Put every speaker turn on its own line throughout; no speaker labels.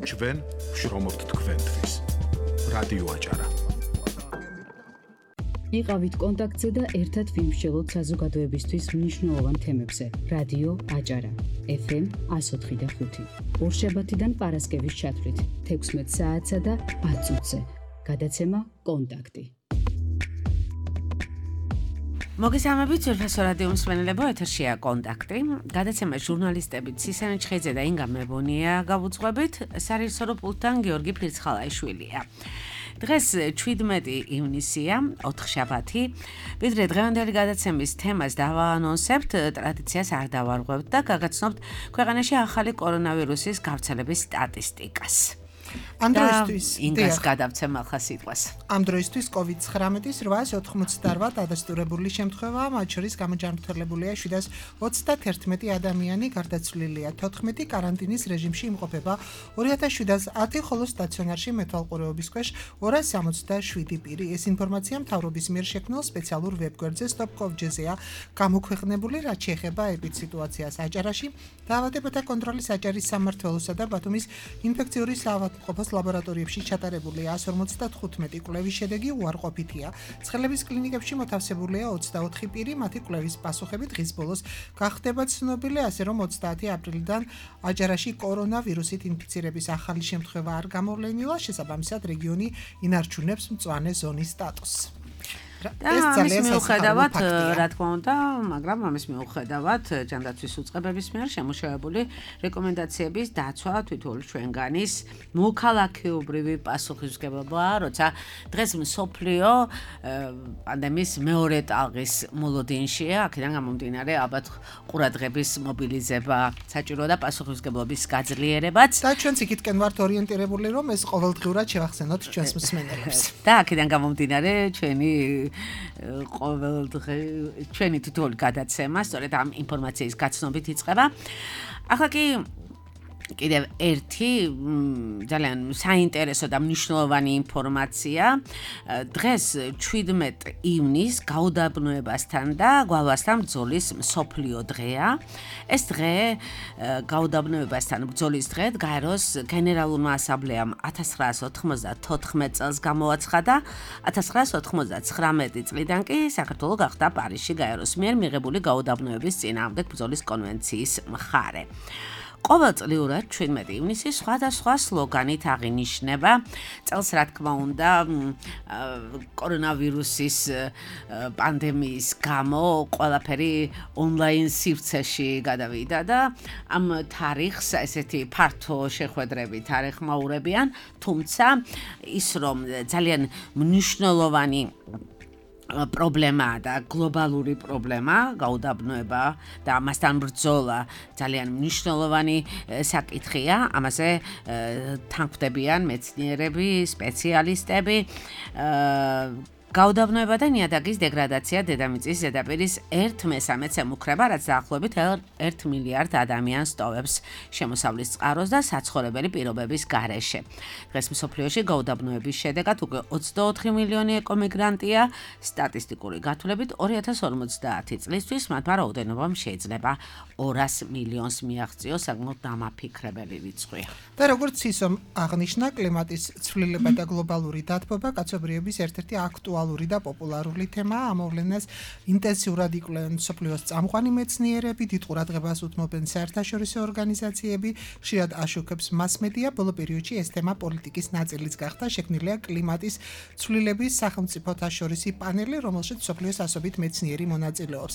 ჩვენ ვშრომობთ თქვენთვის. რადიო აჭარა.
იყავით კონტაქტზე და ერთად ვიმსჯელოთ საზოგადოებისთვის მნიშვნელოვან თემებზე. რადიო აჭარა. FM 104.5. ორშაბათიდან პარასკევის ჩათვლით 16 საათსა და 10 წუთზე. გადაცემა კონტაქტი.
მოგესალმებით, ძვირფასო რადიო მსმენელებო, ეთერშია კონტაქტი. გადაცემა ჟურნალისტებით სისანი ჩხეიძე და ინგა მებონია გავუძღვებით, სარეჟისორო პულტთან გიორგი ფირცხალაიშვილია. დღეს 17 ივნისია, 4 შაბათი. ვიდრე დღევანდელი გადაცემის თემას დავაანონსებთ, ტრადიციას არ დავარღვევთ და გაგაცნობთ ქვეყანაში ახალი კორონავირუსის გავრცელების სტატისტიკას.
ამ დროისთვის
ინგას გადავცემ ახლა სიტყვას.
ამ დროისთვის COVID-19-ის 888 დადასტურებული შემთხვევა, მათ შორის გამოჯანმრთელებულია 731 ადამიანი, გარდაცვლილია 14, კარანტინის რეჟიმში იმყოფება 2710, ხოლო სტაციონარში მეთვალყურეობის ქვეშ 267 პირი. ეს ინფორმაცია მთავრობის მიერ შექმნილ სპეციალურ ვებგვერდზე stop.gov.gr-ზეა გამოქვეყნებული, რაც შეეხება ეპიდსიტუაციას აჭარაში, დაავადებათა კონტროლის აჭარის სამმართველოსა და ბათუმის ინფექციური საავადმყოფოს ლაბორატორიებში ჩატარებული 155 კვლევის შედეგი უარყოფითია. ცხელების კლინიკებში მოთავსებულია 24 პირი, მათი კვლევის პასუხები დღის ბოლოს გახდება ცნობილი, ასე რომ 30 აპრილიდან აჭარაში კორონავირუსით ინფიცირების ახალი შემთხვევა არ გამოვლენილა, შესაბამისად რეგიონი ინარჩუნებს მწვანე ზონის სტატუსს.
ეს ძალიან მიუხედავად, რა თქმა უნდა, მაგრამ ამის მიუხედავად ჯანდაცვის უწყებების მიერ შემუშავებული რეკომენდაციების დაცვა თითოეული ჩვენგანის მოქალაქეობრივი პასუხისმგებლობაა, როცა დღეს მსოფლიო პანდემიის მეორე ტალღის მოლოდინშია, აქედან გამომდინარე ალბათ ყურადღების მობილიზება საჭიროა და პასუხისმგებლობის გაძლიერებაც.
და ჩვენც იქითკენ ვართ ორიენტირებული, რომ ეს ყოველდღიურად შევახსენოთ ჩვენს მსმენელებს.
და აქედან გამომდინარე ჩვენი თითოეული გადაცემა სწორედ ამ ინფორმაციის გაცნობით იწყება. ახლა კი კიდევ ერთი ძალიან საინტერესო და მნიშვნელოვანი ინფორმაცია. დღეს 17 ივნისს გაუდაბნოებასთან და გვალვასთან ბრძოლის მსოფლიო დღეა. ეს დღე გაუდაბნოებასთან ბრძოლის დღე გაეროს გენერალურმა ასამბლეამ 1994 წელს გამოაცხადა. 1999 წლიდან კი საქართველო გახდა პარიზში გაეროს მიერ მიღებული გაუდაბნოების წინააღმდეგ ბრძოლის კონვენციის მხარე. ყოველწლიურად 17 ივნისი სხვადასხვა სლოგანით აღინიშნება. წელს რა თქმა უნდა კორონავირუსის პანდემიის გამო ყველაფერი ონლაინ სივრცეში გადავიდა და ამ თარიღს ესეთი ფართო შეხვედრებით არ ეხმაურებიან, თუმცა ის რომ ძალიან მნიშვნელოვანი პრობლემაა და გლობალური პრობლემა, გაუდაბნოება და ამასთან ბრძოლა ძალიან მნიშვნელოვანი საკითხია. ამაზე თანხმდებიან მეცნიერები, სპეციალისტები. გაუდაბნოება და ნიადაგის დეგრადაცია დედამიწის ზედაპირის 1/3-ს ემუქრება, რაც დაახლოებით 1 მილიარდ ადამიანს ტოვებს შემოსავლის წყაროს და საცხოვრებელი პირობების გარეშე. დღეს მსოფლიოში გაუდაბნოების შედეგად უკვე 24 მილიონი ეკომიგრანტია. სტატისტიკური გათვლებით 2050 წლისთვის მათმა რაოდენობამ შეიძლება 200 მილიონს მიაღწიოს, საკმაოდ დამაფიქრებელი რიცხვია.
და როგორც ისო აღნიშნა, კლიმატის ცვლილება და გლობალური დათბობა კაცობრიობის ერთ-ერთი აქტუალური და პოპულარული თემაა. ამოვლენას ინტენსიურად იკვლევენ მსოფლიოს წამყვანი მეცნიერები, დიდ ყურადღებას უთმობენ საერთაშორისო ორგანიზაციები, ხშირად აშუქებს მასმედია. ბოლო პერიოდში ეს თემა პოლიტიკის ნაწილიც გახდა. შექმნილია კლიმატის ცვლილების სახელმწიფოთა შორისი პანელი, რომელშიც მსოფლიოს ასობით მეცნიერი მონაწილეობს.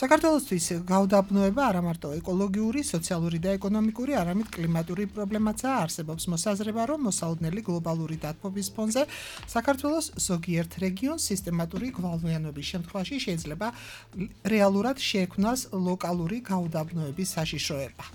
საქართველოსთვის გაუდაბნოება არა მარტო ეკოლოგიური, სოციალური და ეკონომიკური, არამედ კლიმატური პრობლემაცაა. არსებობს მოსაზრება, რომ მოსალოდნელი გლობალური დათბობის ფონზე საქართველოს ზოგიერთ რეგიონს სისტემატური გვალვიანობის შემთხვევაში შეიძლება რეალურად შეექმნას ლოკალური გაუდაბნოების საშიშროება.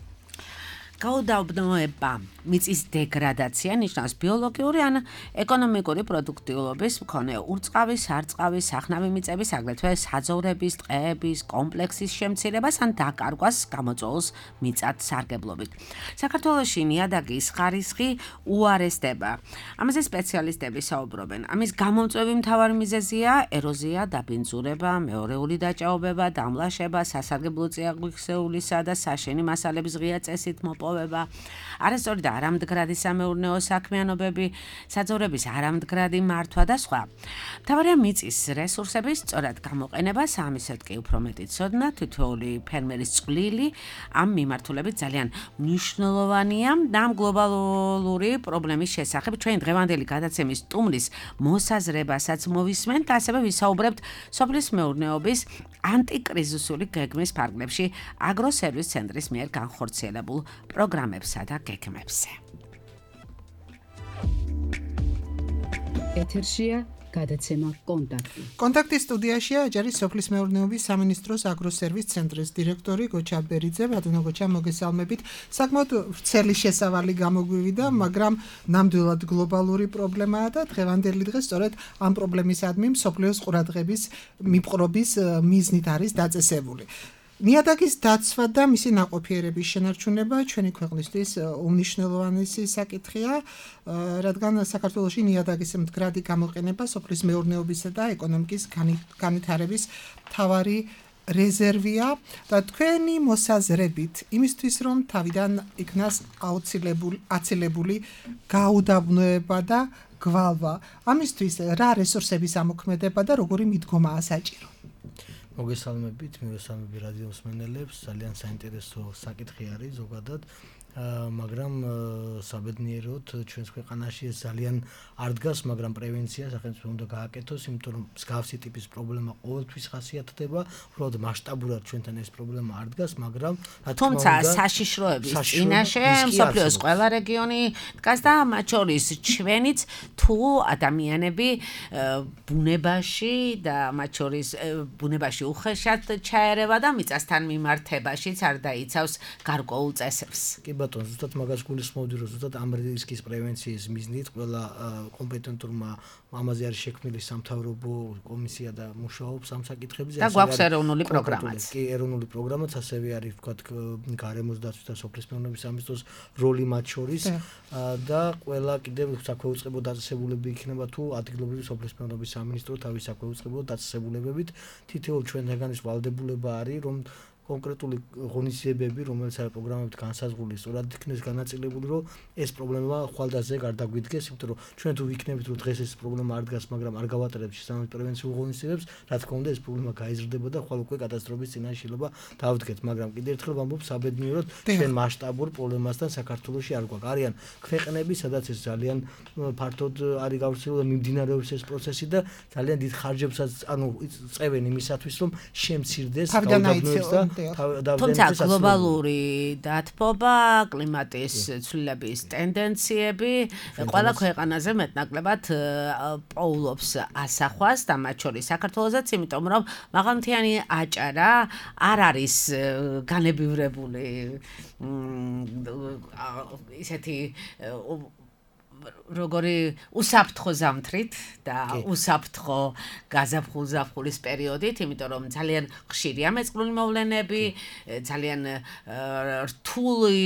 გაუდაბნოება, მიწის დეგრადაცია ნიშნავს ბიოლოგიური ან ეკონომიკური პროდუქტიულობის მქონე ურწყავის, სარწყავის, სახნავი მიწების, აგრეთვე საძოვრების, ტყეების, კომპლექსის შემცირებას ან დაკარგვას გამოწვეულს მიწათსარგებლობით. საქართველოში ნიადაგის ხარისხი უარესდება. ამაზე სპეციალისტები საუბრობენ. ამის გამომწვევი მთავარი მიზეზია ეროზია, დაბინძურება, მეორეული დაჭაობება, დამლაშება, სასარგებლო წიაღისეულისა და საშენი მასალების ღია წესით მოპოვება. მოპოვება, არასწორი და არამდგრადი სამეურნეო საქმიანობები, საძოვრების არამდგრადი მართვა და სხვა. მთავარია მიწის რესურსების სწორად გამოყენება, ამისად კი უფრო მეტი ცოდნა, თითოეული ფერმერის წვლილი ამ მიმართულებით ძალიან მნიშვნელოვანია და ამ გლობალური პრობლემის შესახებ ჩვენ დღევანდელი გადაცემის სტუმრის მოსაზრებასაც მოვისმენთ, ასევე ვისაუბრებთ სოფლის მეურნეობის ანტიკრიზისული გეგმის ფარგლებში აგროსერვის ცენტრის მიერ განხორციელებულ პროგრამებსა და გეგმებზე.
ეთერშია გადაცემა კონტაქტი.
კონტაქტის სტუდიაშია აჭარის სოფლის მეურნეობის სამინისტროს აგროსერვის ცენტრის დირექტორი გოჩა ბერიძე. ბატონო გოჩა, მოგესალმებით. საკმაოდ ვრცელი შესავალი გამოგვივიდა, მაგრამ ნამდვილად გლობალური პრობლემაა და დღევანდელი დღე სწორედ ამ პრობლემისადმი მსოფლიოს ყურადღების მიპყრობის მიზნით არის დაწესებული. ნიადაგის დაცვა და მისი ნაყოფიერების შენარჩუნება ჩვენი ქვეყნისთვის უმნიშვნელოვანესი საკითხია, რადგან საქართველოში ნიადაგის მდგრადი გამოყენება სოფლის მეურნეობისა და ეკონომიკის განვითარების მთავარი რეზერვია და თქვენი მოსაზრებით იმისთვის, რომ თავიდან იქნას აცილებული გაუდაბნოება და გვალვა, ამისთვის რა რესურსების ამოქმედება და როგორი მიდგომაა საჭირო?
მოგესალმებით, მივესალმები რადიო მსმენელებს, ძალიან საინტერესო საკითხი არის ზოგადად, მაგრამ საბედნიეროდ ჩვენს ქვეყანაში ეს ძალიან არ დგას, მაგრამ პრევენცია სახელმწიფო უნდა გააკეთოს, იმიტომ რომ მსგავსი ტიპის პრობლემა ყოველთვის ხასიათდება, უბრალოდ მასშტაბურად ჩვენთან ეს პრობლემა არ დგას, მაგრამ
თუმცა საშიშროების წინაშე მსოფლიოს ყველა რეგიონი დგას და მათ შორის ჩვენიც თუ ადამიანები ბუნებაში და მათ შორის ბუნებაში უხეშად ჩაერევა და მიწასთან მიმართებაშიც არ დაიცავს გარკვეულ წესებს.
კი ბატონო, ზუსტად მაგას გულისხმობდი, რომ ზუსტად ამ რისკის პრევენციის მიზნით ყველა კომპეტენტურმა ამაზე არის შექმნილი სამთავრობო კომისია და მუშაობს ამ საკითხებზე.
და გვაქვს ეროვნული პროგრამაც.
კი, ეროვნული პროგრამაც, ასევე არის ვთქვათ გარემოს დაცვის და სოფლის მეურნეობის სამინისტროს როლი მათ შორის და ყველა კიდევ საქვეუწყებო დაწესებულებები იქნება თუ ადგილობრივი სოფლის მეურნეობის სამინისტრო თავის საქვეუწყებო დაწესებულებებით თითოეულ ჩვენგან ის ვალდებულება არის, რომ კონკრეტული ღონისძიებები, რომელიც არის პროგრამებით განსაზღვრული, სწორად იქნეს განაწილებული, რომ ეს პრობლემა ხვალდაზე არ დაგვიდგეს, იმიტომ რომ ჩვენ თუ ვიქნებით, რომ დღეს ეს პრობლემა არ დგას, მაგრამ არ გავატარებთ შესაბამის პრევენციულ ღონისძიებებს, რა თქმა უნდა, ეს პრობლემა გაიზრდება და ხვალ უკვე კატასტროფის წინაშე შეიძლება დავდგეთ, მაგრამ კიდევ ერთხელ ვამბობ, საბედნიეროდ ჩვენ მასშტაბურ პრობლემასთან საქართველოში არ გვაქვს. არიან ქვეყნები, სადაც ეს ძალიან ფართოდ არის გავრცელებული და მიმდინარეობს ეს პროცესი და ძალიან დიდ ხარჯებსაც წევენ იმისათვის, რომ შემცირდეს გაუდაბნოების და
თუმცა გლობალური დათბობა, კლიმატის ცვლილების ტენდენციები ყველა ქვეყანაზე მეტნაკლებად პოულობს ასახვას და მათ შორის საქართველოსაც, იმიტომ რომ მაღალმთიანი აჭარა არ არის განებივრებული ისეთი როგორი უსაფრთხო ზამთრით და უსაფრთხო გაზაფხულ-ზაფხულის პერიოდით, იმიტომ რომ ძალიან ხშირია მეწყრული მოვლენები, ძალიან რთული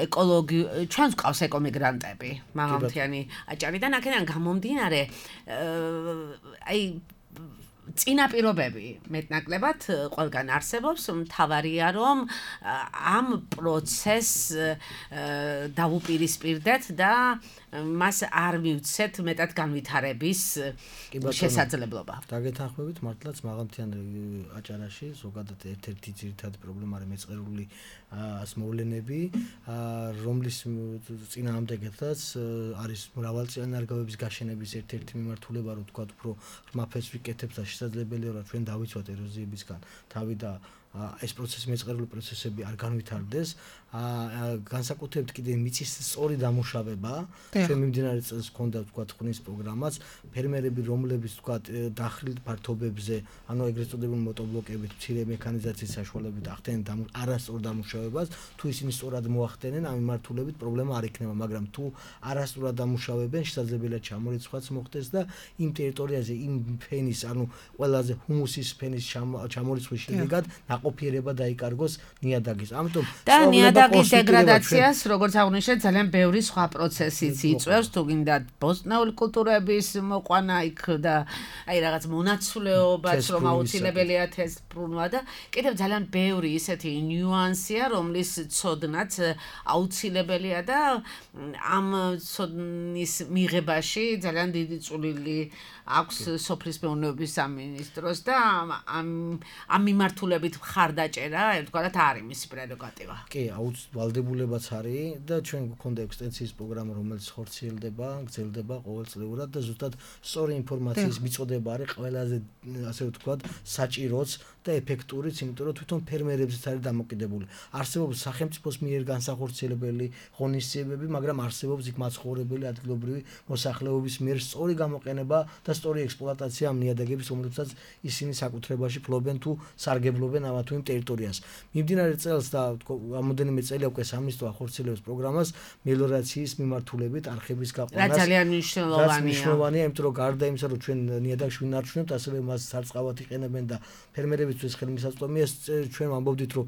ეკოლოგი, ჩვენს ყავს ეკომიგრანტები, მაღალმთიანი აჭარიდან, აქედან გამომდინარე, აი წინაპირობები მეტნაკლებად ყველგან არსებობს, მთავარია რომ ამ პროცესს დავუპირისპირდეთ და მას არ მივცეთ მეტად განვითარების შესაძლებლობა.
დაგეთანხმებით, მართლაც მაღალმთიან აჭარაში ზოგადად ერთ-ერთი ძირითადი პრობლემა არის მეწყერული მოვლენები, რომლის წინააღმდეგეთაც არის მრავალწლიანი ნარგავების გაშენების ერთ-ერთი მიმართულება, რომ თქვა უფრო ღრმაფერს ვიკეთებთ და შესაძლებელია რომ ჩვენ დავიცვათ ეროზიებისგან თავი და ეს პროცესი მეწყერული პროცესები არ განვითარდეს, განსაკუთრებით კიდე მიწის სწორი დამუშავება, ჩვენ მიმდინარე წელს ჰქონდა თქვა ღვინის პროგრამაც, ფერმერები რომლებიც თქვა დახრილ ფართობებზე, ანუ ეგრეთ წოდებული მოტორბლოკებით, მცირე მექანიზაციის საშუალებით ახდენენ არასწორ დამუშავებას, თუ ისინი სწორად მოახდენენ, ამ მიმართულებით პრობლემა არ იქნება, მაგრამ თუ არასწორად დამუშავებენ, შესაძლებელია ჩამორიცხვაც მოხდეს და იმ ტერიტორიაზე იმ ფენის, ანუ ყველაზე ჰუმუსის ფენის ჩამორიცხვის შედეგად ყოფიერება დაიკარგოს ნიადაგის. ამიტომ
და ნიადაგის ნიადაგის დეგრადაციას, როგორც აღნიშნეთ, ძალიან ბევრი სხვა პროცესიც იწვევს, თუ გინდა ბოსტნეული კულტურების მოყვანა იქ და აი რაღაც მონაცვლეობაც რომ აუცილებელია თესლბრუნვა და კიდევ ძალიან ბევრი ისეთი ნიუანსია, რომლის ცოდნაც აუცილებელია და ამ ცოდნის მიღებაში ძალიან დიდი წვლილი აქვს სოფლის მეურნეობის სამინისტროს და ამ მიმართულებით მხარდაჭერა ერთგვარად არის მისი პრეროგატივა.
კი, ვალდებულებაც არის და ჩვენ გვქონდა ექსტენსიის პროგრამა, რომელიც ხორციელდება, გრძელდება ყოველწლიურად და ზუსტად სწორი ინფორმაციის მიწოდება არის ყველაზე ასე ვთქვათ საჭიროც და ეფექტურიც, იმიტომ რომ თვითონ ფერმერებზეც არის დამოკიდებული. არსებობს სახელმწიფოს მიერ განსახორციელებელი ღონისძიებები, მაგრამ არსებობს იქ მაცხოვრებელი ადგილობრივი მოსახლეობის მიერ სწორი გამოყენება და სწორი ექსპლუატაცია ამ ნიადაგების, რომლებსაც ისინი საკუთრებაში ფლობენ თუ სარგებლობენ ამ თუ იმ ტერიტორიას. მიმდინარე წელს და რამოდენიმე წელია უკვე სამინისტრო ახორციელებს პროგრამას მელიორაციის მიმართულებით არხების გაყვანას.
რა ძალიან მნიშვნელოვანია.
მნიშვნელოვანია, იმიტომ რომ გარდა იმისა, რომ ჩვენ ნიადაგს ვინარჩუნებთ, ასევე მას სარწყავად იყენებენ და ფერმერებისთვის ხელმისაწვდომია. ჩვენ ვამბობდით, რომ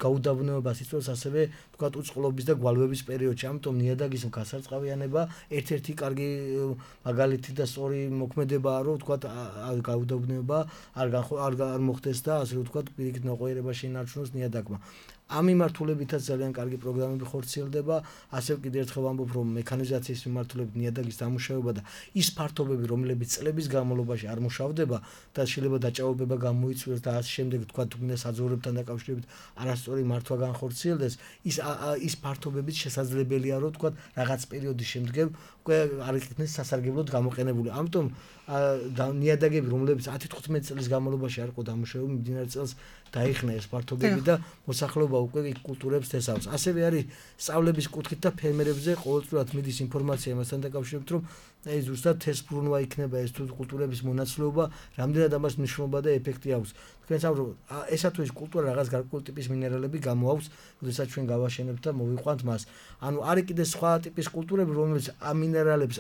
გაუდაბნოებას იწვევს ასევე ვთქვათ უწყლობის და გვალვების პერიოდში. ამიტომ ნიადაგის გასარწყავიანება ერთ-ერთი კარგი მაგალითი და სწორი მოქმედებაა, რომ ვთქვათ გაუდაბნოება არ მოხდეს და ასე ვთქვათ პირიქით ნოყიერებაში ინარჩუნოს ნიადაგმა. ამ მიმართულებითაც ძალიან კარგი პროგრამები ხორციელდება, ასევე კიდევ ერთხელ ვამბობ, რომ მექანიზაციის მიმართულებით ნიადაგის დამუშავება და ის ფართობები, რომლებიც წლების განმავლობაში არ მუშავდება და შეიძლება დაჭაობება გამოიწვიოს და ასე შემდეგ, თქვა თუ გინდა საძოვრებთან დაკავშირებით არასწორი მართვა განხორციელდეს, ის ფართობებიც შესაძლებელია, რომ თქვა რაღაც პერიოდის შემდგომ უკვე არ იქნეს სასარგებლოდ გამოყენებული. ამიტომ ნიადაგები, რომლებიც 10-15 წლის განმავლობაში არ იყო დამუშავებული, მიმდინარე წელს დაიხნა ეს ფართობები და მოსახლეობა უკვე იქ კულტურებს თესავს. ასევე არის სწავლების კუთხით და ფერმერებზე ყოველწლიურად მიდის ინფორმაცია იმასთან დაკავშირებით, რომ აი ზუსტად თესლბრუნვა იქნება ეს თუ კულტურების მონაცვლეობა, რამდენად ამას მნიშვნელობა და ეფექტი აქვს. თქვენ საუბრობთ, ესა თუ ის კულტურა რაღაც გარკვეული ტიპის მინერალები გამოაქვს, როდესაც ჩვენ გავაშენებთ და მოვიყვანთ მას. ანუ არის კიდე სხვა ტიპის კულტურები, რომელიც ამ მინერალებს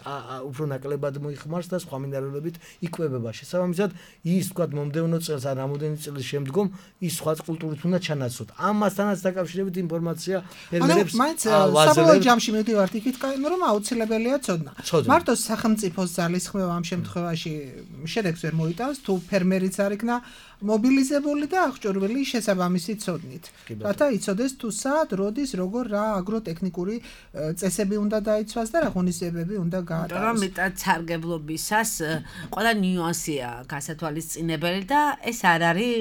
უფრო ნაკლებად მოიხმარს და სხვა მინერალებით იკვებება. შესაბამისად, ის თქვა მომდევნო წელს ან რამოდენი წლის შემდგომ ის სხვა კულტურით უნდა ჩანაცვლოთ. ამასთანაც დაკავშირებით ინფორმაცია ფერმერებს
საბოლოო ჯამში მივდივართ იქით, რომ აუცილებელია ცოდნა. მარტო სახელმწიფოს ძალისხმევა ამ შემთხვევაში შედეგს ვერ მოიტანს, თუ ფერმერიც არ იქნა მობილიზებული და აღჭურვილი შესაბამისი ცოდნით. რათა იცოდეს თუ სად, როდის, როგორ რა აგროტექნიკური წესები უნდა დაიცვას და რა ღონისძიებები უნდა გაატაროს.
რომ მეტად სარგებლობისას ყველა ნიუანსია გასათვალისწინებელი და ეს არ არის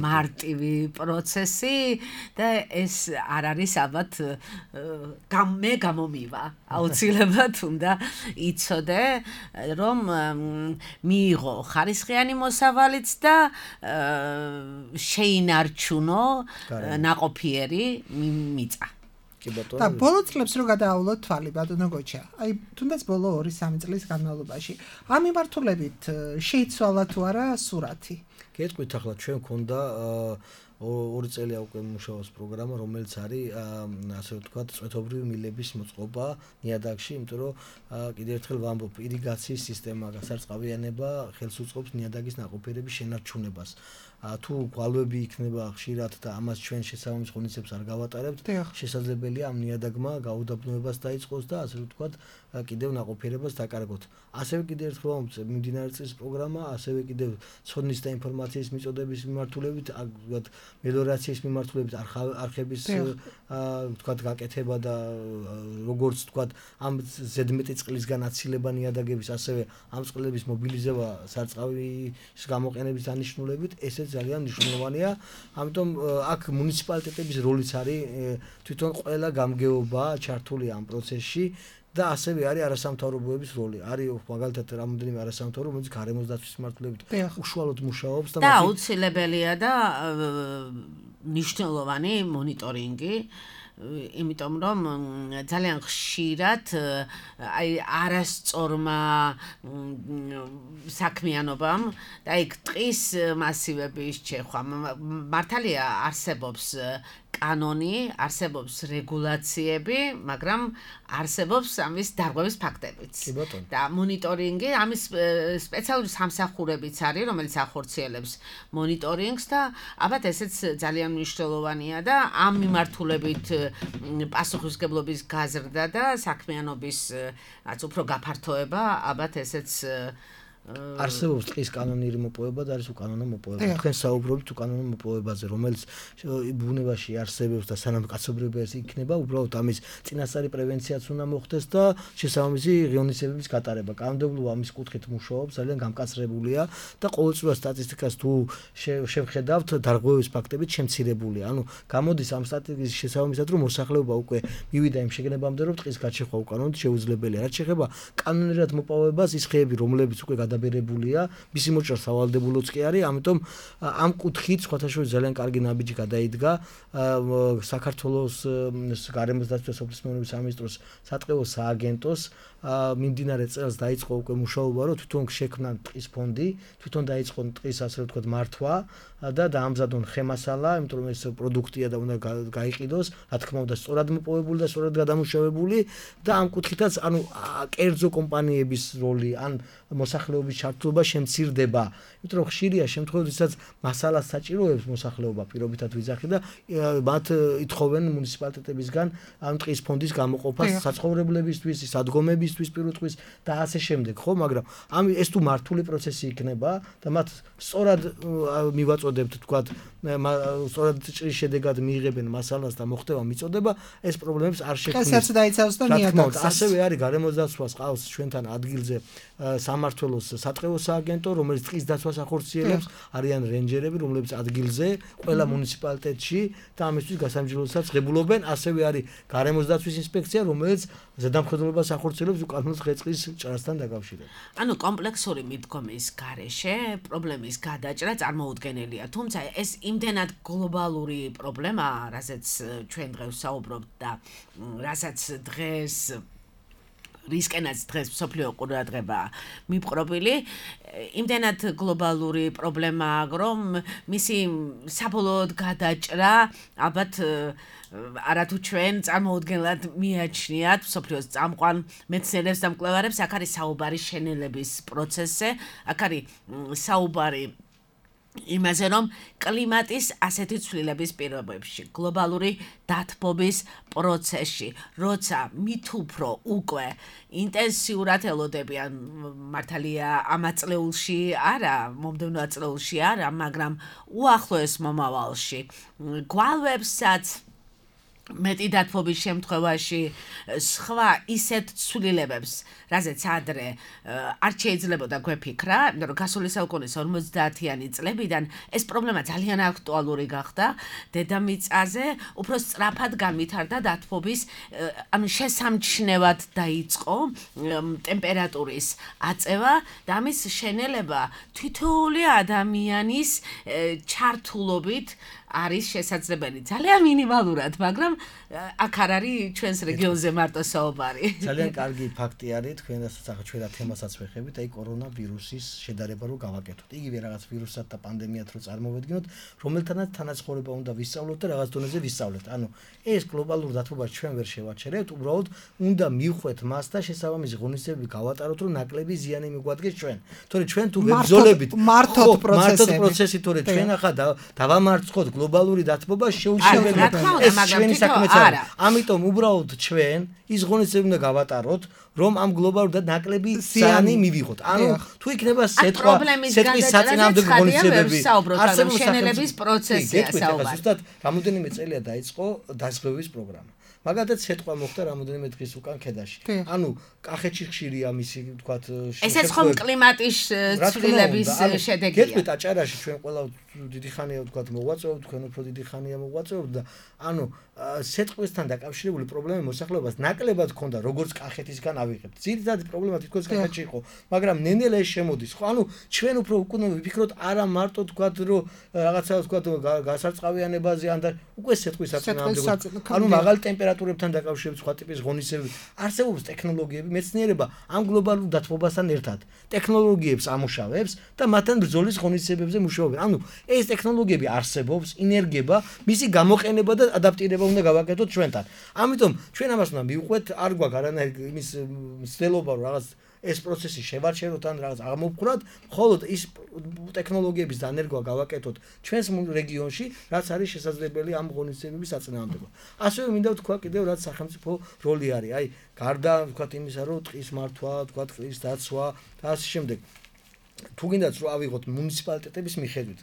მარტივი პროცესი და ეს არ არის ალბათ მე გამომივა. აუცილებლად უნდა იცოდე, რომ მიიღო ხარისხიანი მოსავალიც და შეინარჩუნო ნაყოფიერი მიწა.
და ბოლო წლებს რო გადაავლოთ თვალი ბატონო გოჩა. აი თუნდაც ბოლო 2-3 წლის განმავლობაში ამ მიმართულებით შეიცვალა თუ არა სურათი?
გეტყვით ახლა ჩვენ გქონდა 2 წელია უკვე მუშაობს პროგრამა, რომელიც არის ასე ვთქვათ წვეთობრივი მილების მოწყობა ნიადაგში, იმიტომ რომ კიდევ ერთხელ ვამბობ, ირიგაციის სისტემა, გასარწყავიანება ხელს უწყობს ნიადაგის ნაყოფიერების შენარჩუნებას. თუ გვალვები იქნება ხშირად და ამას ჩვენ შესაბამის ღონისძიებებს არ გავატარებთ, შესაძლებელია ამ ნიადაგმა გაუდაბნოებას დაიწყოს და ასე ვთქვათ კიდევ ნაყოფიერებას დაკარგოთ. ასევე კიდევ ერთხელ ვამბობ, მიმდინარე წლის პროგრამა, ასევე კიდევ ცოდნის და ინფორმაციის მიწოდების მიმართულებით, ვთქვათ მელიორაციის მიმართულებით არხების ვთქვათ გაკეთება და როგორც ვთქვათ ამ ზედმეტი წყლისგან აცილება ნიადაგების, ასევე ამ წყლების მობილიზება სარწყავის გამოყენების დანიშნულებით, ესეც ძალიან მნიშვნელოვანია. ამიტომ აქ მუნიციპალიტეტების როლიც არის თვითონ ყველა გამგეობა ჩართული ამ პროცესში და ასევე არის არასამთავრობოების როლი. არის მაგალითად რამოდენიმე არასამთავრობო, რომელიც გარემოს დაცვის მიმართულებით უშუალოდ მუშაობს
და აუცილებელია და მნიშვნელოვანი მონიტორინგი. იმიტომ რომ ძალიან ხშირად აი არასწორმა საქმიანობამ და იქ ტყის მასივების ჩეხვა მართალია არსებობს კანონი, არსებობს რეგულაციები, მაგრამ არსებობს ამის დარღვევის ფაქტებიც. და მონიტორინგი, ამის სპეციალური სამსახურებიც არის, რომელიც ახორციელებს მონიტორინგს და ალბათ ესეც ძალიან მნიშვნელოვანია და ამ მიმართულებით პასუხისმგებლობის გაზრდა და საქმიანობის უფრო გაფართოება, ალბათ ესეც
არსებობს ტყის კანონიერი მოპოვება და არის უკანონო მოპოვება. თქვენ საუბრობთ უკანონო მოპოვებაზე, რომელიც ბუნებაში არსებობს და სანამ კაცობრიობა იქნება, უბრალოდ ამის წინასწარი პრევენციაც უნდა მოხდეს და შესაბამისი ღონისძიებების გატარება. კანონმდებლობა ამის კუთხით მუშაობს, ძალიან გამკაცრებულია და ყოველწლიურად სტატისტიკას თუ შევხედავთ, დარღვევის ფაქტებით შემცირებულია. ანუ გამოდის ამ სტატისტიკის შესაბამისად, რომ მოსახლეობა უკვე მივიდა იმ შეგნებამდე, რომ ტყის გაჩეხვა უკანონოდ შეუძლებელია. რაც შეეხება კანონიერად მოპოვებას, ის ხეები, რომლებიც უკვე გადაბერებულია, მისი მოჭრა სავალდებულოც კი არის, ამიტომ ამ კუთხით სხვათაშორის ძალიან კარგი ნაბიჯი გადაიდგა საქართველოს გარემოს დაცვის სოფლის მეურნეობის სამინისტროს სატყეო სააგენტოს მიმდინარე წელს დაიწყო უკვე მუშაობა, რომ თვითონ შექმნან ტყის ფონდი, თვითონ დაიწყონ ტყის ასე ვთქვათ მართვა და დაამზადონ ხემასალა, იმიტომ რომ ეს პროდუქტია და უნდა გაიყიდოს, რა თქმა უნდა, სწორად მოპოვებული და სწორად გადამუშავებული და ამ კუთხითაც ანუ კერძო კომპანიების როლი ან მოსახლეობის ჩართულობა შემცირდება, იმიტომ რომ ხშირია შემთხვევები, როდესაც მასალას საჭიროებს მოსახლეობა პირობითად ვიძახი და მათ ითხოვენ მუნიციპალიტეტებისგან ამ ტყის ფონდის გამოყოფას საცხოვრებლებისთვის, სადგომებისთვის პირუტყვის და ასე შემდეგ, ხო, მაგრამ ეს თუ მართული პროცესი იქნება და მათ სწორად მივაწოდებთ, თქვათ, სწორად ჭრის შედეგად მიიღებენ მასალას და მოხდება მიწოდება, ეს პრობლემებს არ შექმნის.
ხესაც დაიცავს და ნიადაგს.
ასევე არის გარემოს დაცვას ყავს ჩვენთან ადგილზე სამმართველოს სატყეო სააგენტო, რომელიც ტყის დაცვას ახორციელებს, არიან რენჯერები, რომლებიც ადგილზე ყველა მუნიციპალიტეტში და ამისთვის გასამჯეროებსაც ღებულობენ, ასევე არის გარემოს დაცვის ინსპექცია, რომელიც ზედამხედველობას ახორციელებს უკანონო ხე-ტყის ჭრასთან დაკავშირებით.
ანუ კომპლექსური მიდგომის გარეშე პრობლემის გადაჭრა წარმოუდგენელია, თუმცა ეს იმდენად გლობალური პრობლემაა, რასაც ჩვენ დღეს საუბრობთ და რასაც დღეს რისკენაც დღეს მსოფლიო ყურადღება მიპყრობილი, იმდენად გლობალური პრობლემაა, რომ მისი საბოლოოდ გადაჭრა ალბათ არათუ ჩვენ წარმოუდგენლად მიაჩნიათ მსოფლიოს წამყვან მეცნიერებს და მკვლევარებს, აქ არის საუბარი შენელების პროცესზე, აქ არის საუბარი იმაზე, რომ კლიმატის ასეთი ცვლილების პირობებში, გლობალური დათბობის პროცესში, როცა მით უფრო უკვე ინტენსიურად ელოდებიან, მართალია ამ აწლეულში არა, მომდევნო აწლეულში არა, მაგრამ უახლოეს მომავალში გვალვებსაც მეტი დათბობის შემთხვევაში სხვა ისეთ ცვლილებებს, რაზეც ადრე არ შეიძლებოდა გვეფიქრა, იმიტომ რომ გასული საუკუნის 50-იანი წლებიდან ეს პრობლემა ძალიან აქტუალური გახდა დედამიწაზე, უფრო სწრაფად განვითარდა დათბობის, ანუ შესამჩნევად დაიწყო ტემპერატურის აწევა და ამის შენელება თითოეული ადამიანის ჩართულობით არის შესაძლებელი. ძალიან მინიმალურად, მაგრამ აქ არ არის ჩვენს რეგიონზე მარტო საუბარი.
ძალიან კარგი ფაქტი არის, თქვენ ჩვენ რა თემასაც ვეხებით, აი კორონავირუსის შედარება რო გავაკეთოთ. იგივე რაღაც ვირუსად და პანდემიად რო წარმოვედგინოთ, რომელთანაც თანაცხოვრება უნდა ვისწავლოთ და რაღაც დონეზე ვისწავლეთ. ანუ ეს გლობალურ დათბობას ჩვენ ვერ შევაჩერებთ, უბრალოდ უნდა მივხვდეთ მას და შესაბამისი ღონისძიებები გავატაროთ, რომ ნაკლები ზიანი მიგვადგეს ჩვენ. თორე ჩვენ თუ ვებრძოლებით
მართოთ
პროცესი, თორე ჩვენ ახლა დავამარცხოთ გლობალური დათბობა შეუძლებელია. ეს ჩვენი საქმეც არა. ამიტომ უბრალოდ ჩვენ ის ღონისძიებები უნდა გავატაროთ, რომ ამ გლობალურ და ნაკლები ზიანი მივიღოთ. ანუ თუ იქნება სიტყვის საწინააღმდეგო ღონისძიებები,
არსებობს შენელების პროცესია საუბარი.
ზუსტად რამოდენიმე წელია დაიწყო დაზღვევის პროგრამა. მაგალითად სიტყვა მოხდა რამოდენიმე დღის უკან ქედაში. ანუ კახეთში ხშირია მისი, ვთქვათ,
ესეც ხომ კლიმატის ცვლილების შედეგია.
გეტყვით აჭარაში ჩვენ ყველა დიდი ხანია, ვთქვათ, მოღვაწეობთ, თქვენ უფრო დიდი ხანია მოღვაწეობთ და ანუ სიტყვისთან დაკავშირებული პრობლემები მოსახლეობას ნაკლებად ჰქონდა, როგორც კახეთისგან ავიღებთ. ძირითადი პრობლემა თითქოს კახეთში იყო, მაგრამ ნენელა ეს შემოდის. ხო, ანუ ჩვენ უფრო უკვე ვიფიქროთ არა მარტო ვთქვათ, რომ რაღაცა ვთქვათ გასარწყავიანებაზე ან და უკვე სიტყვის საწინააღმდეგო. ანუ მაღალი ტემპერატურა ტემპერატურებთან დაკავშირებით სხვა ტიპის ღონისძიებები, არსებობს ტექნოლოგიები, მეცნიერება ამ გლობალურ დათბობასთან ერთად ტექნოლოგიებს ამუშავებს და მათთან ბრძოლის ღონისძიებებზე მუშაობენ. ანუ ეს ტექნოლოგიები არსებობს, ინერგება, მისი გამოყენება და ადაპტირება უნდა გავაკეთოთ ჩვენთან. ამიტომ ჩვენ ამას უნდა მივყვეთ, არ გვაქვს არანაირი იმის მცდელობა რომ რაღაც ეს პროცესი შევარჩევოთ ან რაღაც აღმოფხვრათ, მხოლოდ ის ტექნოლოგიების დანერგვა გავაკეთოთ ჩვენს რეგიონში, რაც არის შესაძლებელი ამ ღონისძიებების საწინააღმდეგო. ასევე მინდა ვთქვა კიდევ რაც სახელმწიფო როლი არის. აი, გარდა ვთქვათ იმისა, რომ ტყის მართვა, ვთქვათ ტყის დაცვა და ასე შემდეგ. თუ გინდათ რომ ავიღოთ მუნიციპალიტეტების მიხედვით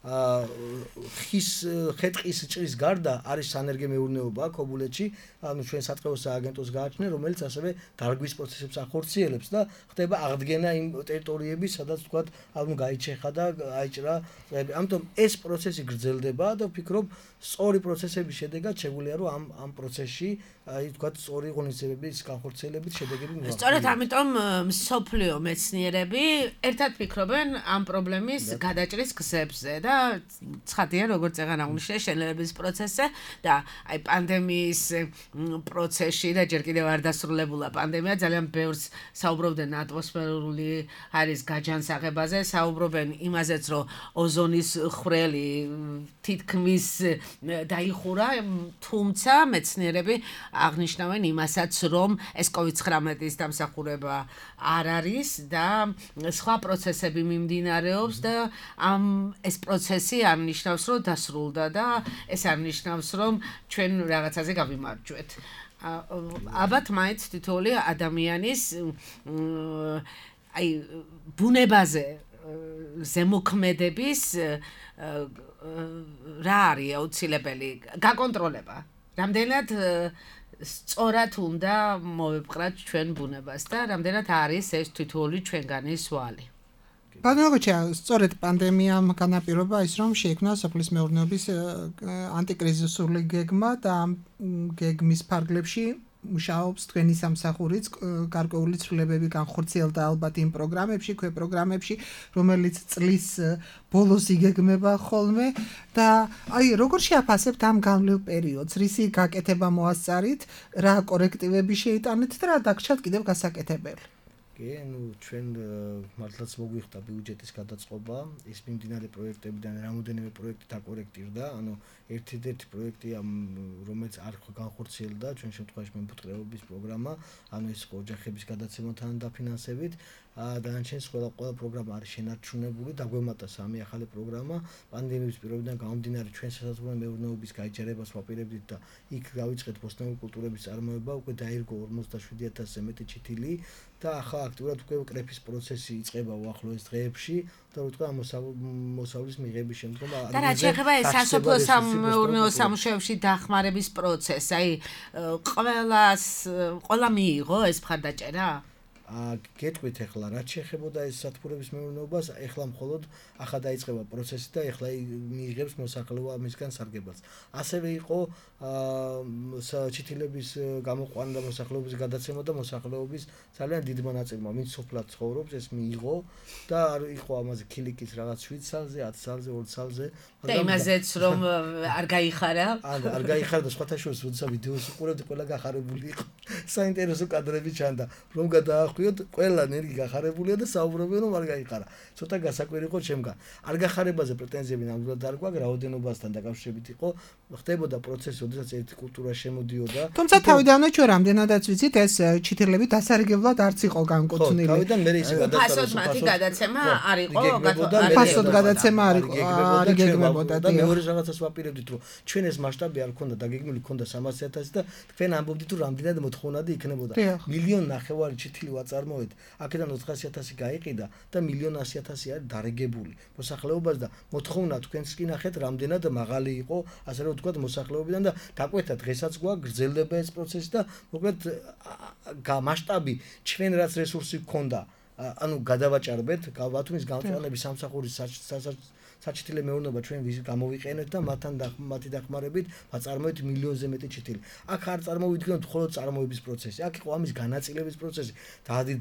ხის ხეტყის ჭრის გარდა არის სანერგე მეურნეობა ქობულეთში, ანუ ჩვენ საწყევო სააგენტოს გააჩნია, რომელიც ასევე დარგვის პროცესებს ახორციელებს და ხდება აღდგენა იმ ტერიტორიების, სადაც ვთქვათ, ანუ გაიჩეხა და აიჭრა წვები. ამიტომ ეს პროცესი გრძელდება და ვფიქრობ, სწორი პროცესების შედეგად შეგვიძლია რომ ამ პროცესში, აი ვთქვათ, სწორი ღონისძიებების განხორციელებით შედეგები მივაღწიოთ.
სწორედ ამიტომ მსოფლიო მეცნიერები ერთად ფიქრობენ ამ პრობლემის გადაჭრის გზებზე და ცხადია, როგორც წეგან აღნიშნე, შენელების პროცესზე და აი პანდემიის პროცესში და ჯერ კიდევ არ დასრულებულა პანდემია, ძალიან ბევრს საუბრობდნენ ატმოსფერული არის გაჯანსაღებაზე, საუბრობენ იმაზეც, რომ ოზონის ხვრელი თითქმის დაიხურა, თუმცა მეცნიერები აღნიშნავენ იმასაც, რომ ეს COVID-19-ის დამსახურება არ არის და სხვა პროცესები მიმდინარეობს და ეს პროცესი არ ნიშნავს, რომ დასრულდა და ეს არ ნიშნავს, რომ ჩვენ რაღაცაზე გავიმარჯვეთ. ალბათ მაინც თითოეული ადამიანის აი ბუნებაზე ზემოქმედების რა არის აუცილებელი გაკონტროლება. რამდენად სწორად უნდა მოვებყრათ ჩვენ ბუნებას და რამდენად არის ეს თითოეული ჩვენგანი სვალი.
ბატონოჩა, სწორედ პანდემიამ განაპირობა ის, რომ შეიქმნა სოფლის მეურნეობის ანტიკრიზისული გეგმა და ამ გეგმის ფარგლებში მუშაობს თქვენი სამსახურიც, გარკვეული ცვლილებები განხორციელდა ალბათ იმ პროგრამებში, პროგრამებში, რომელიც წლის ბოლოს იგეგმება ხოლმე და აი როგორ შეაფასებთ ამ განვლილ პერიოდს, რისი გაკეთება მოასწარით, რა კორექტივები შეიტანეთ და რა დაგჭირთ კიდევ გასაკეთებელი?
ანუ ჩვენ მართლაც მოგვიხდა ბიუჯეტის გადაწყობა, ის მიმდინარე პროექტებიდან რამოდენიმე პროექტი დაკორექტირდა, ანუ ერთ-ერთი პროექტია, რომელიც არ განხორციელდა, ჩვენ შემთხვევაში მემფუტკრეობის პროგრამა, ანუ ეს ოჯახების გადაცემასთან დაფინანსებით, დანარჩენი ყველა პროგრამა არის შენარჩუნებული, დაგვემატა 3 ახალი პროგრამა, პანდემიის პირობიდან გამომდინარე ჩვენ სასაზღვრო მეურნეობის გაიჯერებას ვაპირებდით და იქ გავიწყეთ ბოსტნეული კულტურების წარმოება, უკვე დაირგო 47000-ზე მეტი ჩითილი და ახლა აქტიურად უკვე კრეფის პროცესი იწყება უახლოეს დღეებში და რა თქმა უნდა მოსავლის მიღების შემდგომ
და რა შეეხება ეს სასოფლო სამეურნეო სამუშაოებში დახმარების პროცესს, აი ყველა მიიღო ეს მხარდაჭერა?
გეტყვით ახლა რაც შეეხებოდა ეს სათბურების მეურნეობას, ახლა მხოლოდ ახლა დაიწყება პროცესი და ახლა მიიღებს მოსახლეობა მისგან სარგებელს. ასევე იყო ჩითილების გამოყვანა და მოსახლეობის გადაცემა და მოსახლეობის ძალიან დიდ მონაწილეობა, ვინც სოფლად ცხოვრობს, ეს მიიღო და იყო ამაზე ქილიკის რაღაც 7 სალზე, 10 სალზე, 2 სალზე.
და იმაზეც რომ არ გაიხარა?
არ გაიხარა და სხვათა შორის როდესაც ვიდეოს უყურებდი, ყველა გახარებული იყო. საინტერესო კადრები ჩანდა, რომ გადაახვიოთ, ყველა ნერგი გახარებულია და საუბრობენ რომ არ გაიხარა. ცოტა გასაკვირი იყო ჩემგან. არ გახარებაზე პრეტენზიები ნამდვილად არ გვაქვს, რაოდენობასთან დაკავშირებით იყო, ხდებოდა პროცესი, როდესაც ერთი კულტურა შემოდიოდა.
თუმცა თავიდანვე ჩვენ რამდენადაც ვიცით, ეს ჩითილები დასარგებლად არც იყო განკუთვნილი.
თავიდან მე ისე
ფასოდმათი გადაცემა არ იყო,
ფასოდ გადაცემა არ იყო, არ გეგმებოდა
და მეორე რაღაცას ვაპირებდით, რომ ჩვენ ეს მასშტაბი არ ქონდა, დაგეგმილი ქონდა 300.000 და თქვენ ამბობდით, რომ რამდენად მოთხოვნადი იქნებოდა. 1,500,000 ჩითილი ვაწარმოეთ, აქედან 400.000 გაიყიდა და 1,100,000 არის დარეგებული მოსახლეობას და მოთხოვნა თქვენს კი ნახეთ, რამდენად მაღალი იყო, ასე რომ ვთქვათ, მოსახლეობიდან და დაკვეთა დღესაც გვაქვს გრძელდება ეს პროცესი და მოკლედ მასშტაბი ჩვენ რაც რესურსი გქონდა, ანუ გადავაჭარბეთ, ბათუმის გამჭრალების სამსახურის საჩითილე მეურნეობა ჩვენ გამოვიყენეთ და მათი დახმარებით ვაწარმოეთ 1,000,000-ზე მეტი ჩითილი. აქ არ წარმოვიდგინოთ მხოლოდ წარმოების პროცესი, აქ იყო ამის განაწილების პროცესი.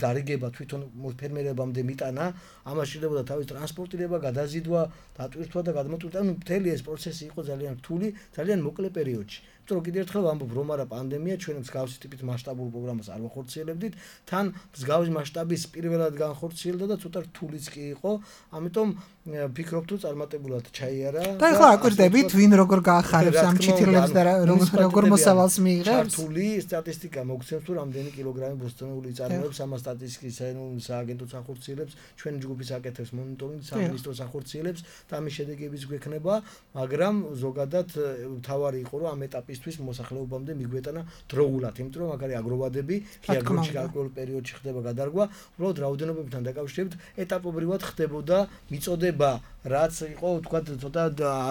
დარიგება თვითონ ფერმერებამდე მიტანა, ამას შეიძლება თავის ტრანსპორტირება, გადაზიდვა, დატვირთვა და გადმოტვირთვა. ანუ მთელი ეს პროცესი იყო ძალიან რთული, ძალიან მოკლე პერიოდში. იმიტომ რომ კიდევ ერთხელ ვამბობ, რომ არა პანდემია ჩვენ მსგავსი ტიპის მასშტაბურ პროგრამას არ ვახორციელებდით, თან მსგავსი მასშტაბის პირველად განხორციელდა და ცოტა რთულიც კი იყო, ამიტომ ვფიქრობ თუ წარმატებულად ჩაიარა.
და ახლა აკვირდებით, ვინ როგორ გაახარებს ამ ჩითილებს და როგორ მოსავალს მიიღებს?
ჩართული სტატისტიკა მოგცემს თუ რამდენი კილოგრამი ბოსტონური იწარმოებს, ამას სტატისტიკის საერთო სააგენტოც ახორციელებს, ჩვენი ჯგუფის აკეთებს მონიტორინგს, სამინისტროს ახორციელებს და ამის შედეგებიც გვექნება, მაგრამ ზოგადად თავარი იყო რომ ამ ეტაპისთვის მოსახლეობამდე მიგვეტანა დროულად, იმიტომ რომ მაგარი აგროვადები ღიაგრუნჩი გარკვეულ პერიოდში ხდება გადარგვა, უბრალოდ რაოდენობებთან დაკავშირებით ეტაპობრივად ხდებოდა მიწოდება, რაც იყო თქვა ცოტა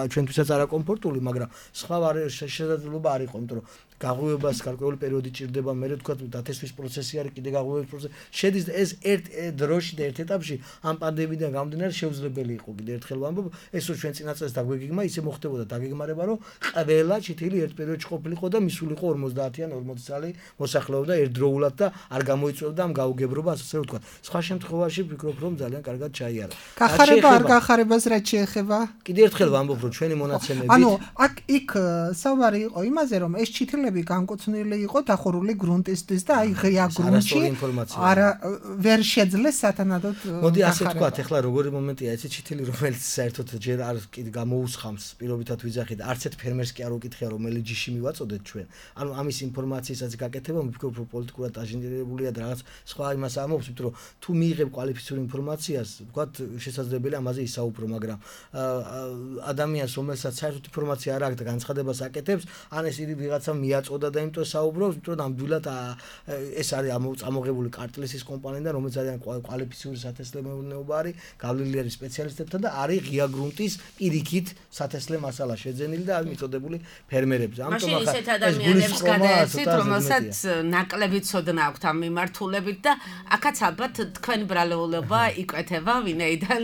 ჩვენთვისაც არაკომფორტული, მაგრამ სხვა შესაძლებლობა არ იყო, იმიტომ რომ გაღვივებას გარკვეული პერიოდი ჭირდება, მე თქვა დათესვის პროცესი არის, კიდე გაღვივების პროცესი. შედის ეს ერთ დროში და ერთ ეტაპში ამ პანდემიიდან გამომდინარე შეუძლებელი იყო. კიდე ერთხელ ვამბობ, ეს რო ჩვენ წინა წელს დაგვეგიგმა, ისე მოხდებოდა დაგეგმარება, რომ ყველა ჩითილი ერთ პერიოდში ყოფილიყო და მისულიყო 50-ან 40 წელი მოსახლეობა ერთდროულად და არ გამოიწვევდა ამ გაუგებრობა, ასე ვთქვა. სხვა შემთხვევაში ვფიქრობ, რომ ძალიან კარგად ჩაიარა.
გახარება არ გახარებას რაც შეეხება?
კიდე ერთხელ ვამბობ, რომ ჩვენი მონაცემებით
ანუ იქ საუბარი იყო იმაზე, რომ ეს ჩითილები განკუთვნილი იყო დახურული გრუნტისთვის და აი ღია გრუნტში არა ვერ შეძლეს სათანადოდ.
მოდი ასე ვთქვა, ეხლა როგორი მომენტია ეს ჩითილი, რომელიც საერთოდ ჯერ არ კიდე გამოუსხამს პირობითად ვიძახით, არც ერთ ფერმერს კი არ უკითხია, რომელი ჯიში მივაწოდეთ ჩვენ. ანუ ამის ინფორმაციასაც გაკეთება, ვფიქრობ, რომ პოლიტიკურად აჟინირებულია და რაღაც სხვა იმას ამობს, იმიტომ რომ თუ მიიღებ კვალიფიციური ინფორმაციას, ვთქვათ, შესაძლებელია ამაზე ისაუბრო, მაგრამ ადამიანს, რომელსაც საერთოდ ინფორმაცია არ აქვს და განცხადებას აკეთებს, ან ეს ვიღაცა მიაწოდა და იმიტომ საუბრობს, იმიტომ რომ ნამდვილად ეს არის ამოღებული კარტლესის კომპანიიდან, რომელიც ძალიან კვალიფიციური სათესლე მეურნეობა არის, გავლილი არის სპეციალისტებთან და არის ღია გრუნტის პირიქით სათესლე მასალა შეძენილი და არის მიწოდებული ფერმერებზე.
ამიტომ ახლა ისეთ ადამიანებს გადაეცით, რომელსაც ნაკლები ცოდნა აქვთ ამ მიმართულებით და აქაც ალბათ თქვენი ბრალეულობა იკვეთება ვინაიდან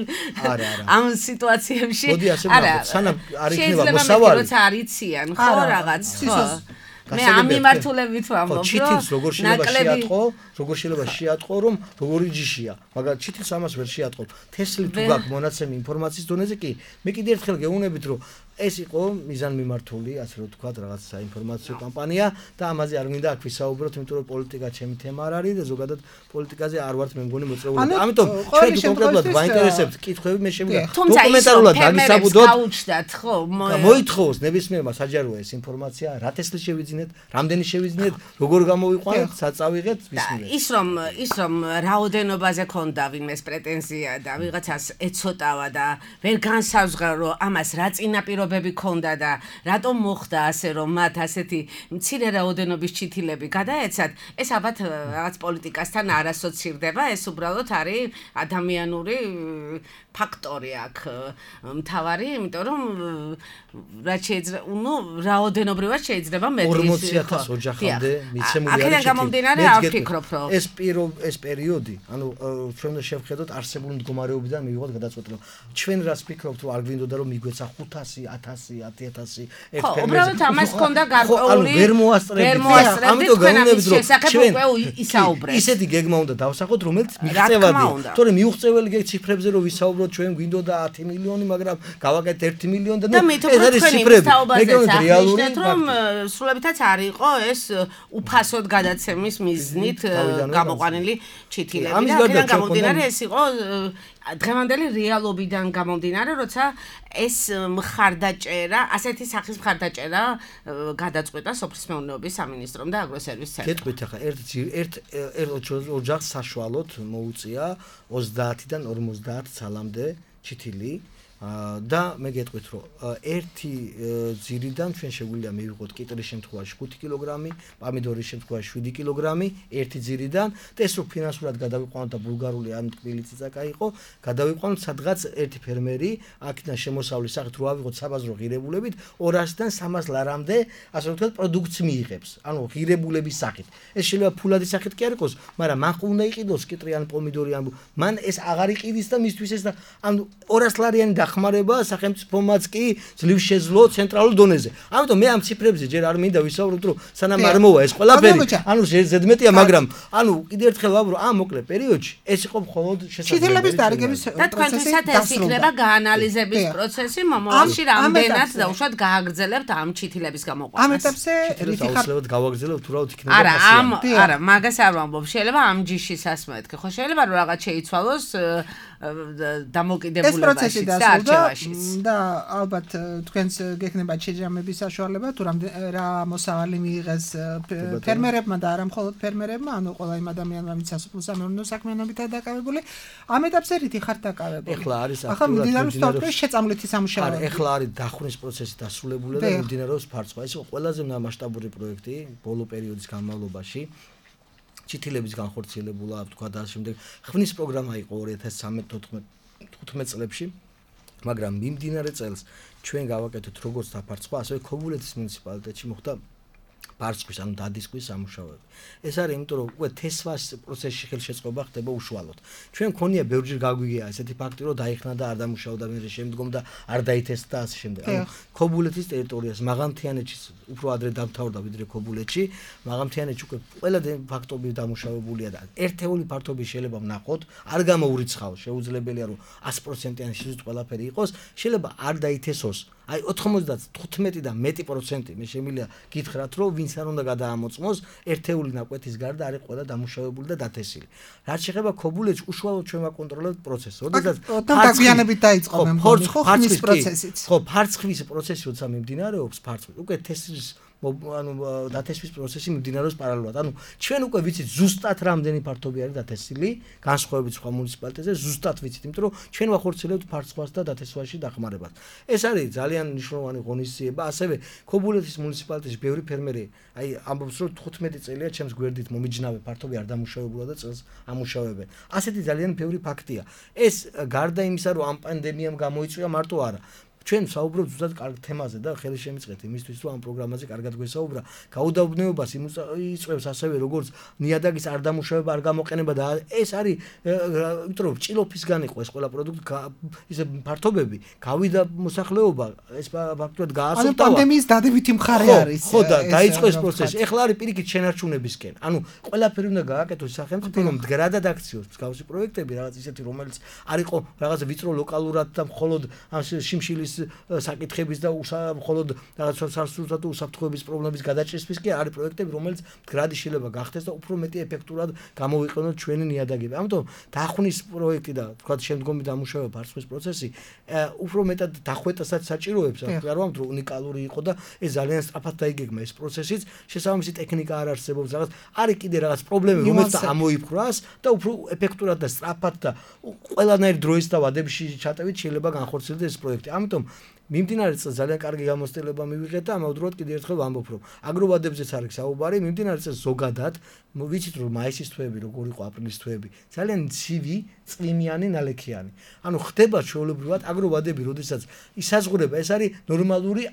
ამ სიტუაციებში.
მოდი ასე ვთქვათ, სანამ არ იქნება მოსავალი,
როცა არ იციან, ხო რაღაც, ხო. მე ამ მიმართულებით ვამბობ,
ჩითილს როგორ შეიძლება შეატყო, რომ როგორი ჯიშია, მაგრამ ჩითილს ამას ვერ შეატყობ. თესლი თუ გაქვს მონაცემი ინფორმაციის დონეზე კი, მე კიდე ერთხელ გეუბნებით, რომ ეს იყო მიზანმიმართული, ასე რომ ვთქვათ, რაღაც საინფორმაციო კამპანია და ამაზე არ მინდა აქ ვისაუბროთ, იმიტომ რომ პოლიტიკა ჩემი თემა არ არის და ზოგადად პოლიტიკაზე არ ვართ მე მგონი მოწეული. ამიტომ ჩვენ კონკრეტულად ვაინტერესებთ კითხვები, მე შემიძლია დოკუმენტალურად დაგისაბუდოთ.
გაუჩნდათ, ხო?
მოითხოვოს ნებისმიერმა საჯაროა ეს ინფორმაცია, რა თესლი შევიძინეთ, რამდენი შევიძინეთ, როგორ გამოვიყვანეთ, საწავიღეთ, ვისმინეთ.
ის რომ რაოდენობაზე ქონდა ვინმეს პრეტენზია და ვიღაცას ეცოტავა და ვერ განსაზღვრა რომ ამას რა წინაპირობები ქონდა და რატომ მოხდა ასე რომ მათ ასეთი მცირე რაოდენობის ჩითილები გადაეცათ, ეს ალბათ რაღაც პოლიტიკასთან არ ასოცირდება, ეს უბრალოდ არის ადამიანური ფაქტორი აქ მთავარი, იმიტომ რომ რაც შეიძლება, რაოდენობრივად შეიძლება მეტი
40,000 ოჯახამდე მიცემული არის.
აქედან გამომდინარე არ ვფიქრობ, რომ
ეს პერიოდი, ანუ ჩვენ უნდა შევხედოთ არსებული მდგომარეობიდან მივიღოთ გადაწყვეტილება. ჩვენ რას ვფიქრობთ, რომ არ გვინდოდა რომ მიგვეცა 500, 1000, 10,000 ერთ ფერმერზე.
ხო, უბრალოდ ამას ქონდა გარკვეული
ვერ მოასწრებით.
ამიტომ
გეუბნებით, რომ
ჩვენ ისაუბრეთ.
ისეთი გეგმა უნდა დავსახოთ, რომელიც მიღწევადია. თორემ მიუღწეველი ციფრებზე რომ ვისაუბროთ, ჩვენ გვინდოდა 10 მილიონი, მაგრამ გავაკეთეთ 1 მილიონი და ეს არის ციფრები. მე გეუბნებით რეალური
რომ სრულებითაც არ იყო ეს უფასოდ გადაცემის მიზნით გამოყვანილი ჩითილები და აქედან გამომდინარე ეს იყო დღევანდელი რეალობიდან გამომდინარე, როცა ეს მხარდაჭერა, ასეთი სახის მხარდაჭერა გადაწყვეტა სოფლის მეურნეობის სამინისტრომ და აგროსერვის ცენტრმა.
გეტყვით ახლა ერთ ოჯახს საშუალოდ მოუწია 30-დან 50 ცალამდე ჩითილი და მე გეტყვით, რომ ერთი ძირიდან ჩვენ შეგვიძლია მივიღოთ კიტრის შემთხვევაში 5 კილოგრამი, პომიდორის შემთხვევაში 7 კილოგრამი, ერთი ძირიდან და ეს რო ფინანსურად გადავიყვანოთ და ბულგარული ან თბილი წიწაკა იყო, გადავიყვანოთ სადღაც ერთი ფერმერი აქედან შემოსავლის სახით რო ავიღოთ საბაზრო ღირებულებით 200-დან 300 ლარამდე, ასე ვთქვათ, პროდუქტს მიიღებს. ანუ ღირებულების სახით. ეს შეიძლება ფულადის სახით კი არ იყოს, მაგრამ მან უნდა იყიდოს კიტრი ან პომიდორი ან მან ეს აღარ იყიდის და მისთვის ეს და ანუ 200 ლარიანი დახმარება სახელმწიფომაც კი ძლივ შეძლო ცენტრალურ დონეზე. ამიტომ მე ამ ციფრებზე ჯერ არ მინდა ვისაუბროთ, რომ სანამ არ მოვა ეს ყველაფერი, ანუ ზედმეტია, მაგრამ ანუ კიდევ ერთხელ ვაბრო, ამ მოკლე პერიოდში ეს იყო მხოლოდ
ჩითილების დარიგების
და თქვენთვისაც ეს იქნება გაანალიზების პროცესი, მომავალში რამდენად დაუშვათ გააგრძელებთ ამ ჩითილების გამოყვანას.
ამ ეტაპზე რითი ხარ
აუცილებლად გავაგრძელებთ, უბრალოდ იქნება პასიანი.
არა, მაგას არ ვამბობ, შეიძლება ამ ჯიშის ასმეთქი, ხო შეიძლება რომ რაღაც შეიცვალოს დამოკიდებულებაში და არჩევაშიც.
და ალბათ თქვენს გექნება შეჯამების საშუალება თუ რა მოსავალი მიიღეს ფერმერებმა და არა მხოლოდ ფერმერებმა, ანუ ყველა იმ ადამიანმა, ვინც სასოფლო-სამეურნეო საქმიანობითაა დაკავებული. ამ ეტაპზე რითი ხართ დაკავებული?
ეხლა არის
ახლა მიმდინარეობს თორემ შეწამლითი სამუშაოები.
არა, ეხლა არის დახვრნის პროცესი დასრულებული და მიმდინარეობს ფარცხვა. ეს იყო ყველაზე მასშტაბური პროექტი ბოლო პერიოდის განმავლობაში. ჩითილების განხორციელებულა, თქვა და შემდეგ ხვნის პროგრამა იყო 2013-15 წლებში, მაგრამ მიმდინარე წელს ჩვენ გავაკეთეთ როგორც დაფარცხვა, ასევე ქობულეთის მუნიციპალიტეტში მოხდა ფარცხვის, ანუ დადისკვის სამუშაოები. ეს არის იმიტომ, რომ უკვე თესვას პროცესში ხელშეწყობა ხდება უშუალოდ. ჩვენ მქონია ბევრჯერ გაგვიგია ესეთი ფაქტი, რომ დაიხნა და არ დამუშავდა მერე შემდგომ და არ დაითესტა და ასე შემდეგ. ანუ ქობულეთის ტერიტორიას მაღალმთიანეთში უფრო ადრე დამთავრდა ვიდრე ქობულეთში, მაღალმთიანეთში უკვე ყველა ფაქტობი დამუშავებულია და ერთეული ფართობი შეიძლება ვნახოთ, არ გამოურიცხავ, შეუძლებელია რომ 100%-იანი შეზღუდვა ყველაფერი იყოს, შეიძლება არ დაითესოს. აი 95 და მეტი პროცენტი მე შემიძლია გითხრათ, რომ ვინც არ უნდა გადაამოწმოს, ერთეული ნაკვეთის გარდა არის ყველა დამუშავებული და დათესილი. რაც შეეხება ქობულეთს, უშუალოდ ჩვენ ვაკონტროლებთ პროცესს. როდესაც
დაგვიანებით დაიწყო მე მგონი, ხო, ხმის პროცესიც.
ხო, ფარცხვის პროცესი როცა მიმდინარეობს, ფარცხვის უკვე თესლის ანუ დათესვის პროცესი მიმდინარეობს პარალელურად. ანუ ჩვენ უკვე ვიცით ზუსტად რამდენი ფართობი არის დათესილი, განსხვავებით სხვა მუნიციპალიტეტზე ზუსტად ვიცით, იმიტომ რომ ჩვენ ვახორციელებთ ფარცხვას და დათესვაში დახმარებას. ეს არის ძალიან მნიშვნელოვანი ღონისძიება, ასევე ქობულეთის მუნიციპალიტეტში ბევრი ფერმერი, აი ამბობს რომ 15 წელია ჩემს გვერდით მომიჯნავე ფართობი არ დამუშავებულა და წელს ამუშავებენ. ასეთი ძალიან ბევრი ფაქტია. ეს გარდა იმისა, რომ ამ პანდემიამ გამოიწვია მარტო არა ჩვენ საუბრობთ ზუსტად კარგ თემაზე და ხელი შემიწყეთ იმისთვის, რომ ამ პროგრამაზე კარგად გვესაუბრა. გაუდავნეობას იწვევს ასევე როგორც ნიადაგის არ დამუშავება, არ გამოყენება და ეს არის, იმიტომ რომ ჭილოფისგან იყო ეს ყველა პროდუქტი, ისე ფართობები, გავიდა მოსახლეობა, ეს ფაქტობრივად გაასწორდა.
ანუ პანდემიის დადებითი მხარე არის.
ხო და დაიწყო ეს პროცესი. ეხლა არის პირიქით შენარჩუნებისკენ. ანუ ყველაფერი უნდა გააკეთოს სახელმწიფომ, მდგრადად აქციოს მსგავსი პროექტები, რაღაც ისეთი, რომელიც არ იყო რაღაც ვიწრო ლოკალურად და მხოლოდ ამ შიმშილის საკითხების და მხოლოდ რაღაც სასურსათო თუ უსაფრთხოების პრობლემების გადაჭრისთვის კი არის პროექტები, რომელიც მდგრადი შეიძლება გახდეს და უფრო მეტი ეფექტურად გამოვიყენოთ ჩვენი ნიადაგები. ამიტომ დახwnis პროექტი და თქვა შემდგომი დამუშავება ფარცხვის პროცესი უფრო მეტად დახვეტასაც საჭიროებს, არ ვამბობ რომ უნიკალური იყო და ეს ძალიან სწრაფად დაიგეგმა ეს პროცესიც, შესაბამისი ტექნიკა არ არსებობს, რაღაც არის კიდე რაღაც პრობლემები, რომელიც ამოიფრას და უფრო ეფექტურად და სწრაფად და ყველანაირ დროის და ვადებში ჩატევით შეიძლება განხორციელდეს ეს პროექტი. ამიტომ მიმდინარე წელს ძალიან კარგი გამოცდილება მივიღეთ და ამავდროულად კიდევ ერთხელ ვამბობ, რომ აგროვადებზეც არის საუბარი, მიმდინარე წელს ზოგადად ვიცით რომ მაისის თვეები, როგორ იყო აპრილის თვეები, ძალიან ცივი, წვიმიანი, ნალექიანი. ანუ ხდება ჩვეულებრივად აგროვადები, როდესაც ისაზღვრება, ეს არის ნორმალური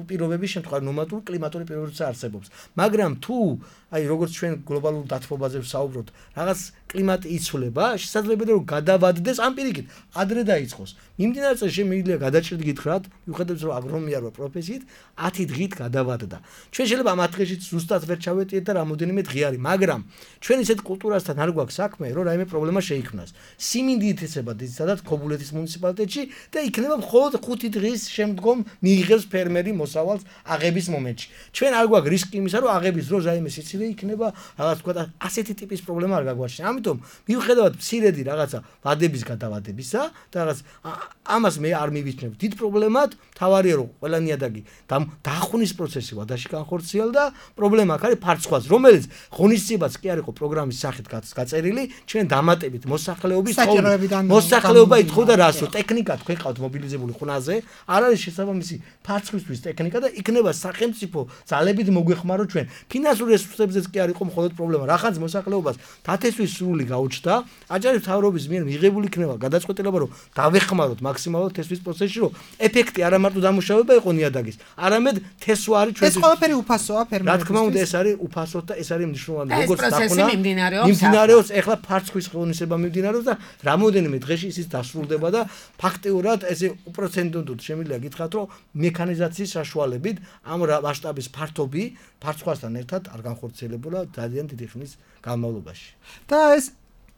პირობების შემთხვევა, ნორმალური კლიმატური პირობებიც არსებობს. მაგრამ თუ აი როგორც ჩვენ გლობალურ დათბობაზე ვსაუბრობთ, რაღაც კლიმატი იცვლება, შესაძლებელია რომ გადავადდეს ამ პირიქით, ადრე დაიწყოს. მიმდინარე წელს შემიძლია გადაჭრით გითხრათ, მიუხედავად რომ აგრონომია რო პროფესიით 10 დღით გადავადდა. ჩვენ შეიძლება ამ 10 დღეში ზუსტად ვერ ჩავეტიეთ და რამოდენიმე დღე არის, მაგრამ ჩვენ ისეთ კულტურასთან არ გვაქვს საქმე, რომ რაიმე პრობლემა შეიქმნას. siminді ითესება ძირითადად ქობულეთის მუნიციპალიტეტში და იქნება მხოლოდ 5 დღის შემდგომ მიიღებს ფერმერი მოსავალს აღების მომენტში. ჩვენ არ გვაქვს რისკი იმისა, რომ აღების დროს რაიმე სიცილე იქნება, რაღაც თქვა ასეთი ტიპის პრობლემა არ გაგვაჩნია. ამიტომ მიუხედავად მცირედი რაღაცა ვადების გადავადებისა და რაღაც ამას მე არ მივიჩნევ დიდ პრობლემად, თავარია რომ ყველა ნიადაგი დახwnis პროცესი ვადაში განხორციელდა, პრობლემა აქ არის ფარცხვას, რომელიც ღონისძიებაც კი არ იყო პროგრამის სახით გაწერილი, ჩვენ დამატებით მოსახლეობა ითხოვდა რას, რომ ტექნიკა თქვენ ყავთ მობილიზებული ხუნაზე, არ არის შესაბამისი ფარცხვისთვის ტექნიკა და იქნება სახელმწიფო ძალებით მოგვეხმაროთ ჩვენ. ფინანსურ რესურსებზეც კი არ იყო მხოლოდ პრობლემა, რახანს მოსახლეობას დათესვის სრული გაუჩნდა, აჯანყების მთავრობის მიერ მიღებული იქნება გადაწყვეტილება, რომ დავეხმაროთ მაქსიმალურად თესვის პროცესში, რომ ეფექტი არა მარტო დამუშავება იყო ნიადაგის, არამედ თესვა არის
ეს ყველაფერი უფასოა
რა
ფერმერებისთვის.
თქმა უნდა ეს არის უფასო და ეს არის მნიშვნელოვანი
ეს
როგორც
პროცესი
დახუნა
მიმდინარეობს
ეხლა ფარცხვის ღონისება მიმდინარეობს და რამოდენიმე დღეში ისიც დასრულდება და ფაქტიურად ესე უპროცენტოდ შემიძლია გითხრათ რომ მექანიზაციის საშუალებით ამ მასშტაბის ფართობი ფარცხვასთან ერთად არ განხორციელებულა ძალიან დიდი ხნის განმავლობაში.
და ეს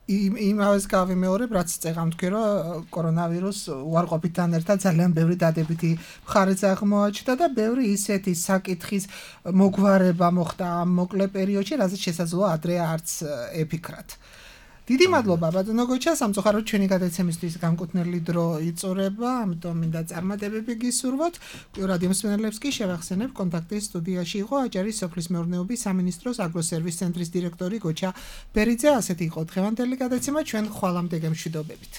იმავეს გავიმეორებ, რაც წეგამ თქვი, რომ კორონავირუს უარყოფითთან ერთად ძალიან ბევრი დადებითი მხარეც აღმოაჩნდა და ბევრი ისეთი საკითხის მოგვარება მოხდა ამ მოკლე პერიოდში, რაზეც შესაძლოა ადრე არც ეფიქრათ. დიდი მადლობა ბატონო გოჩა, სამწუხაროდ ჩვენი გადაცემისთვის განკუთვნილი დრო იწურება, ამიტომ მინდა წარმატებები გისურვოთ. რადიო მსმენელებს კი შევახსენებ, კონტაქტის სტუდიაში იყო აჭარის სოფლის მეურნეობის სამინისტროს აგროსერვის ცენტრის დირექტორი გოჩა ბერიძე. ასეთი იყო დღევანდელი გადაცემა, ჩვენ ხვალამდე გემშვიდობებით.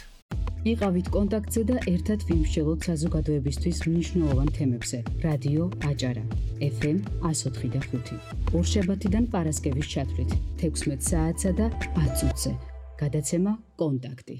იყავით კონტაქტზე და ერთად ვიმსჯელოთ საზოგადოებისთვის მნიშვნელოვან თემებზე. რადიო აჭარა FM 104.5 ორშაბათიდან პარასკევის ჩათვლით 16 საათსა და 10 წუთზე. გადაცემა კონტაქტი